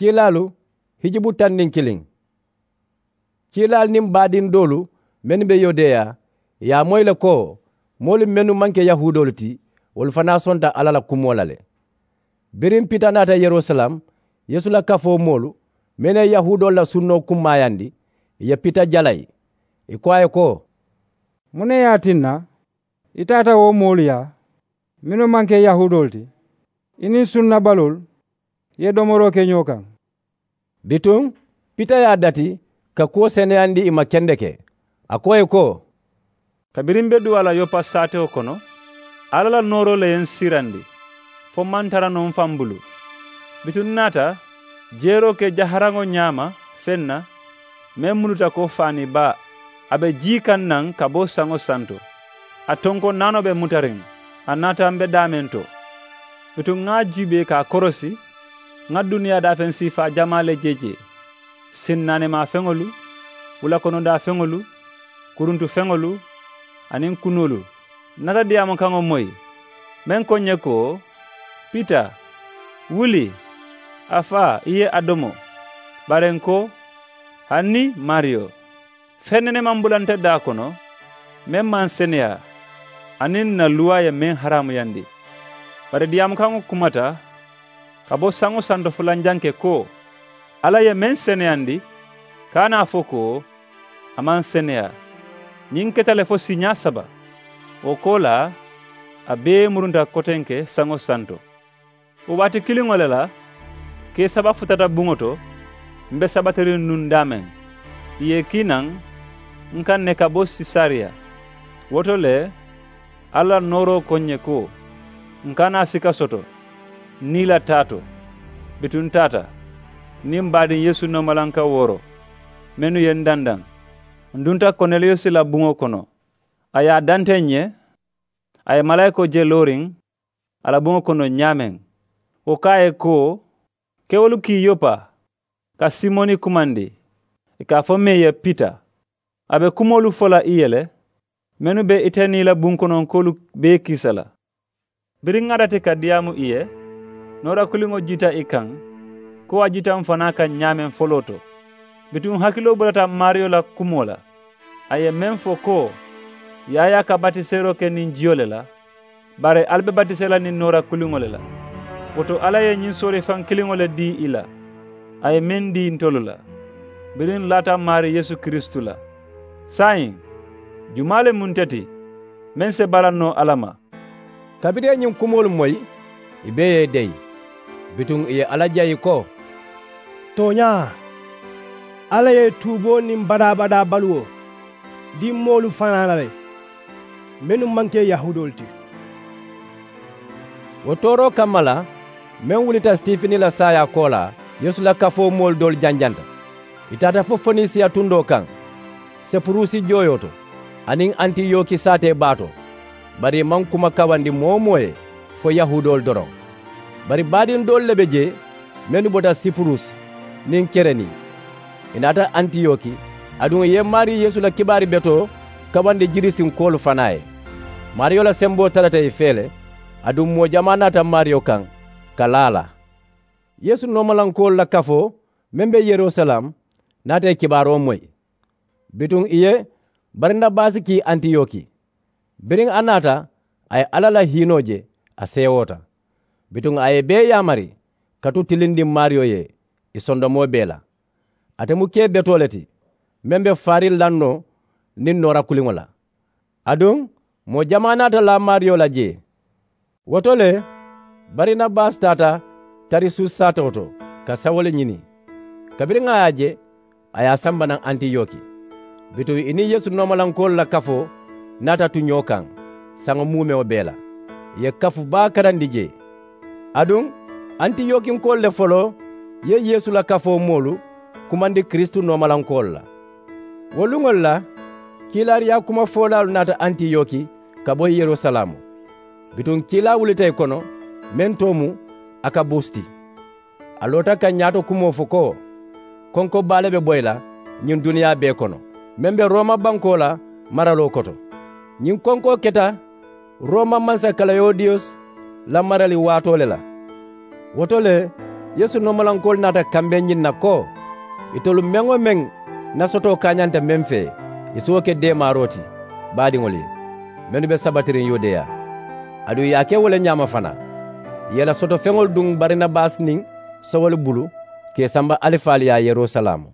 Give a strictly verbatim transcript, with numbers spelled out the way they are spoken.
Kiilaalu hijubu taŋ niŋ kiliŋ. Kiilaalu niŋ baadiŋ doolu mennu be yudeya, ì ye a moyi le ko moolu mennu maŋ ke yahuudoolu ti, wolu fanaa sonta alla la kumoo la le. Biriŋ pita naata yerusalem, yeesu la kafoo moolu mennu ye yahuudoolu la sunnoo kummaayandi, ì ye pita jalayi. Ì ko a ye ko, muŋ ne ye a tinna i taata wo moolu yaa mennu maŋ ke yahuudoolu ti, i niŋ sunnabaluulu ye domoroo ke ñoo kaŋ? Bituŋ pita ye a dati ka kuwo seneyandi ì ma kendeke. A ko ì ye ko, kabiriŋ m̀ be duwaa la yopa saatewo kono, alla la nooroo le ye m̀ siirandi fo m̀ maŋ tara noo m̀ faŋ bulu. Bituŋ m̀ naata jeeroo ke jaharaŋo ñaama feŋ na meŋ muluta ko faani baa. A be jii kaŋ naŋ ka bo saŋo santo. A tonkoŋ naanoo be mutariŋ. A naata m̀ be daameŋ to. Bituŋ ŋa a juubee ka a korosi, ŋa duniyaa daafeŋ siifaa jamaa le je jee, sinnaanemaa feŋolu, wulakonodaa feŋolu, kuruntu feŋolu, aniŋ kunoolu. Ǹ naata diyaamu kaŋo moyi meŋ ko ǹ ye ko, pita, wuli, a faa i ye a domo. Bari ǹ ko, hani maariyo, feŋ nene maŋ bula nte daa kono meŋ maŋ seneyaa, aniŋ ǹ na luwaa ye meŋ haraamuyandi. Bari diyaamu kaŋo kumata ka bo saŋo santo fulanjanke ko, alla ye meŋ seneyandi, kana a fo ko a maŋ seneyaa. Ñiŋ keta le fo siiñaa saba. Wo koolaa a bee murunta kotenke saŋo santo. Wo waati kiliŋo le la kee saba futata buŋo to, m̀ be sabatiriŋ nuŋ daameŋ. Ì ye ì kii naŋ ǹ kaŋ ne ka bo sesariya. Wo to le alla la nooroo ko ǹ ye ko, ǹ kana sika soto ǹ nii la taa to. Bituŋ ǹ taata niŋ m̀ baadiŋ yeesu noomalanka wooro mennu ye m̀ dandaŋ. M̀ dunta koneliyusi la buŋo kono. A ye a dante ǹ ye. A ye malaayikoo je looriŋ a la buŋo kono ñaameŋ. Wo ko a ye ko, kewolu kii yopa ka simoni kumandi, ì ka a fo meŋ ye pita. A be kumoolu fo la ì ye le mennu be ite niŋ ì la bunkononkoolu bee kiisa la. Biriŋ ŋa a dati ka diyaamu ì ye, noora kuliŋo jiita ì kaŋ ko a jiita m̀ fanaa kaŋ ñaameŋ foloo to. Bituŋ hakiloo bulata maariyo la kumoo la. A ye meŋ fo ko, yaayaa ka batiseeroo ke niŋ jiyo le la, bari ali be batisee la niŋ noora kuliŋo le la. Wo to alla ye ñiŋ soorifaŋ kiliŋo le dii ì la a ye meŋ dii ntolu la, biriŋ ǹ laata maarii yeesu kiristu la. Saayiŋ jumaa le mu nte ti meŋ si balannoo alla ma? Kabiriŋ ì ye ñiŋ kumoolu moyi, ì bee ye ì deyi. Bituŋ ì ye alla jayi ko, tooñaa, alla ye tuuboo niŋ badaa-badaa baluwo dii moolu fanaa la le mennu maŋ ke yahuudoolu ti. Wo tooroo kamma la meŋ wulita sitifini la saayaa koolaa, yeesu la kafoo moolu doolu janjanta. Ì taata fo fonisiya tundoo kaŋ, sepurusi jooyoo to, aniŋ antiyoki saatee baa to. Bari ì maŋ kuma kawandi moo-wo-moo ye fo yahuudoolu doroŋ. Bari baadiŋ doolu le be jee mennu bota sipurusi niŋ kerenii. Ì naata antiyoki, aduŋ ì ye maarii yeesu la kibaari betoo kawandi jirisinkoolu fanaa ye. Maariyo la semboo tarata ì fee le, aduŋ moo jamaa naata maariyo kaŋ ka laa a la. Yeesu noomalankoolu la kafoo meŋ be yerusalem naata ì kibaaroo moyi. Bituŋ ì ye barinabasi kii antiyoki. Biriŋ a naata, a ye alla la hiinoo je, a seewoota. Bituŋ a ye ì bee yaamari ka tu tilindiŋ maariyo ye ì sondomoo bee la. Ate mu kee betoo le ti meŋ be faariŋ lannoo niŋ noora kuliŋo la. Aduŋ moo jamaa naata laa maariyo la jee. Wo to le barinabasi taata tarisus saatoo to ka sawulu ñini. Kabiriŋ a ye a je, a ye a samba naŋ antiyoki. Bituŋ ì niŋ yeesu noomalankoolu la kafoo naata tu ñoo kaŋ saŋo muumewo bee la. Ì ye kafu baa karandi jee. Aduŋ antiyokinkoolu le foloo ye yeesu la kafoo moolu kumandi kiristu noomalankoolu la. Wo luŋolu la kiilaariyaa kumafoolaalu naata antiyoki ka bo yerusalaamu. Bituŋ kiilaa wulita ì kono meŋ too mu akabus ti. A loota ka ñaato kumoo fo ko, konko baa le be boyi la ñiŋ duniyaa bee kono meŋ be rooma bankoo la maraloo koto. Ñiŋ konkoo keta rooma mansa kalawudiyus la marali waatoo le la. Wo to le Yeesu noomalankoolu naata kambeŋ ñiŋ na ko, itolu meŋ-wo-meŋ na sotoo kaañanta meŋ fee, ì si wo ke deemaaroo ti baadiŋolu ye, mennu be sabatiriŋ yudeya. Aduŋ ì ye a ke wo le ñaama fanaa, ì ye ì la sotofeŋolu duŋ barinabasi niŋ sowolu bulu ka ì samba alifaalu yaa yerusalaamu.